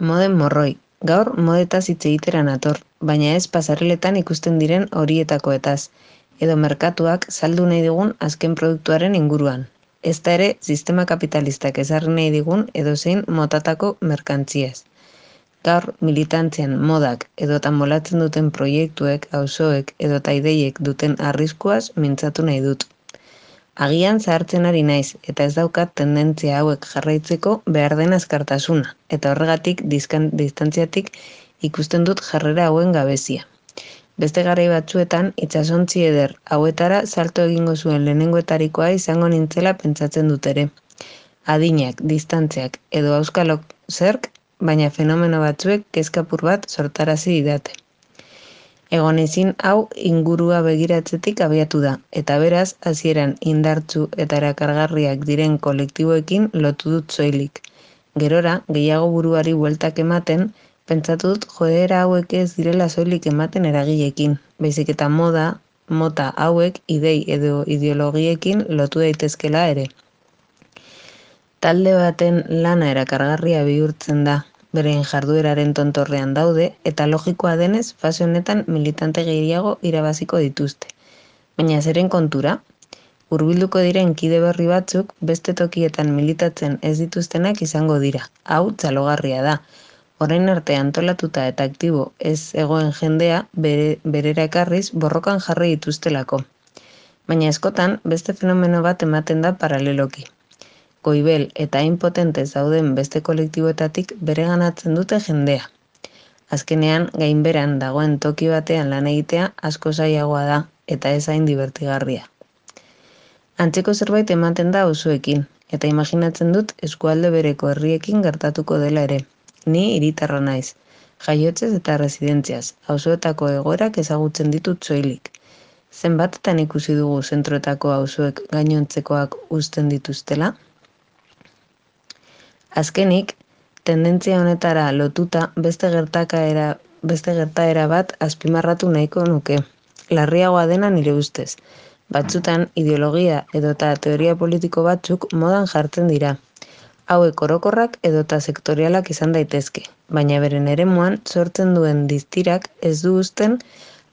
Moden morroi, gaur modetaz hitz egitera nator, baina ez pasareletan ikusten diren horietakoetaz, edo merkatuak saldu nahi digun azken produktuaren inguruan. Ezta ere, sistema kapitalistak ezarri nahi digun edozein motatako merkantziaz. Gaur, militantzian modak edota molatzen duten proiektuek, auzoek edota ideiek duten arriskuaz mintzatu nahi dut. Agian zahartzen ari naiz, eta ez daukat tendentzia hauek jarraitzeko behar den azkartasuna, eta horregatik distantziatik ikusten dut jarrera hauen gabezia. Beste garai batzuetan, itsasontzi eder hauetara salto egingo zuen lehenengoetarikoa izango nintzela pentsatzen dut ere. Adinak, distantziak edo auskalok zerk, baina fenomeno batzuek kezkapur bat sortarazi didate. Egon ezin hau ingurua begiratzetik abiatu da, eta beraz, hasieran indartzu eta erakargarriak diren kolektiboekin lotu dut soilik. Gerora, gehiago buruari bueltak ematen, pentsatu dut joera hauek ez direla soilik ematen eragileekin, baizik eta mota hauek idei edo ideologiekin lotu daitezkela ere. Talde baten lana erakargarria bihurtzen da, beren jardueraren tontorrean daude, eta logikoa denez fase honetan militante gehiago irabaziko dituzte. Baina zeren kontura? Hurbilduko diren kide berri batzuk beste tokietan militatzen ez dituztenak izango dira. Hau txalogarria da. Orain arte antolatuta eta aktibo ez egoen jendea berera ekarriz borrokan jarri dituztelako. Baina askotan beste fenomeno bat ematen da paraleloki. Goibel eta impotente zauden beste kolektiboetatik bereganatzen dute jendea. Azkenean, gainberan dagoen toki batean lan egitea asko zailagoa da eta ez hain divertigarria. Antzeko zerbait ematen da auzoekin, eta imaginatzen dut eskualde bereko herriekin gertatuko dela ere. Ni hiritarra naiz, jaiotzez eta residentziaz, auzoetako egoerak ezagutzen ditut soilik. Zenbatetan ikusi dugu zentroetako auzoek gainontzekoak uzten dituztela? Azkenik, tendentzia honetara lotuta beste gertaera bat azpimarratu nahiko nuke. Larriagoa dena nire ustez. Batzutan, ideologia edota teoria politiko batzuk modan jartzen dira. Hauek orokorrak edota sektorialak izan daitezke, baina beren eremuan sortzen duen distirak ez du uzten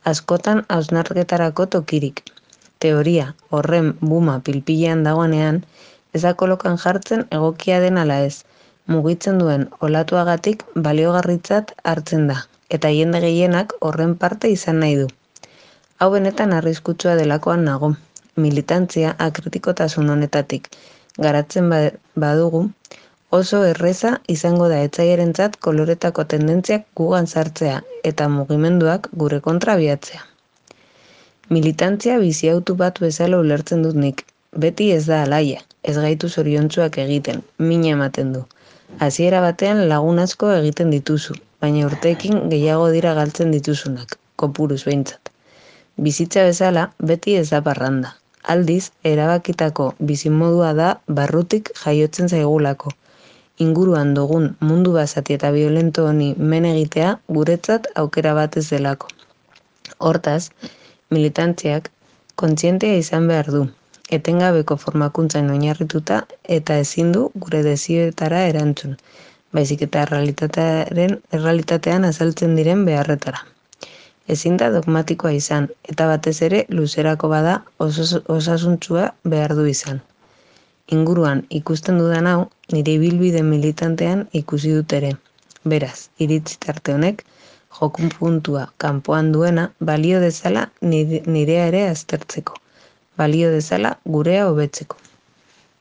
askotan hausnarketarako tokirik. Teoria, horren buma pilpilean dagoenean, ez da kolokan jartzen egokia den ala ez, mugitzen duen olatuagatik baliogarritzat hartzen da, eta jende gehienak horren parte izan nahi du. Hau benetan arriskutsua delakoan nago, militantzia akritikotasun honetatik garatzen badugu, oso erreza izango da etzaierentzat koloretako tendentziak gugan sartzea eta mugimenduak gure kontra abiatzea. Militantzia biziautu bat bezala ulertzen dut nik. Beti ez da alaia, ez gaitu zoriontsuak egiten, mina ematen du. Hasiera batean lagun asko egiten dituzu, baina urteekin gehiago dira galtzen dituzunak, kopuruz behintzat. Bizitza bezala beti ez da parranda. Aldiz, erabakitako bizimodua da barrutik jaiotzen zaigulako. Inguruan dugun mundu basati eta violento honi men egitea guretzat aukera bat ez delako. Hortaz, militantziak kontzientea izan behar du, etengabeko formakuntzan oinarrituta eta ezin du gure desioetara erantzun, baizik eta errealitatean azaltzen diren beharretara. Ezin da dogmatikoa izan, eta batez ere luzerako bada osasuntsua behar du izan. Inguruan ikusten dudan hau, nire ibilbide militantean ikusi dut ere. Beraz, iritzi tarte honek, jokun puntua kanpoan duena balio dezala nirea ere aztertzeko. Balio dezala gurea hobetzeko.